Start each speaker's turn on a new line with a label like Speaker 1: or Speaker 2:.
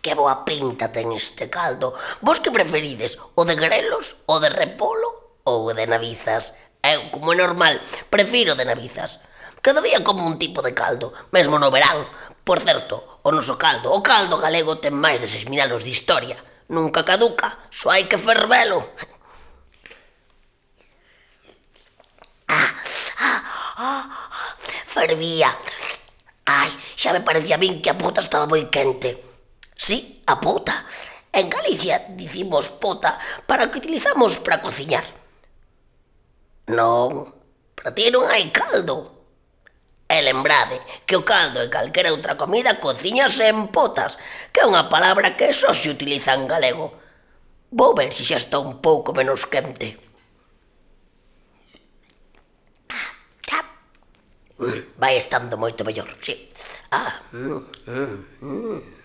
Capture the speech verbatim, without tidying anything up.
Speaker 1: Que boa pinta ten este caldo. Vos que preferides, o de grelos, o de repolo ou o de navizas? Eu, como é normal, prefiro o de navizas. Cada día como un tipo de caldo, mesmo no verán. Por certo, o noso caldo, o caldo galego ten máis de seis mil anos de historia. Nunca caduca, só hai que fervelo. Fervía. Ai, xa me parecía a min que a pota estaba moi quente. Sí, a pota. En Galicia dicimos pota para o que utilizamos para cociñar. Non, para ti non hai caldo. E lembrade que o caldo e calquera outra comida cociñase en potas, que é unha palabra que só se utiliza en galego. Vou ver se xa está un pouco menos quente. Vai estando moito mellor, sí. Ah, mm, mm, mm.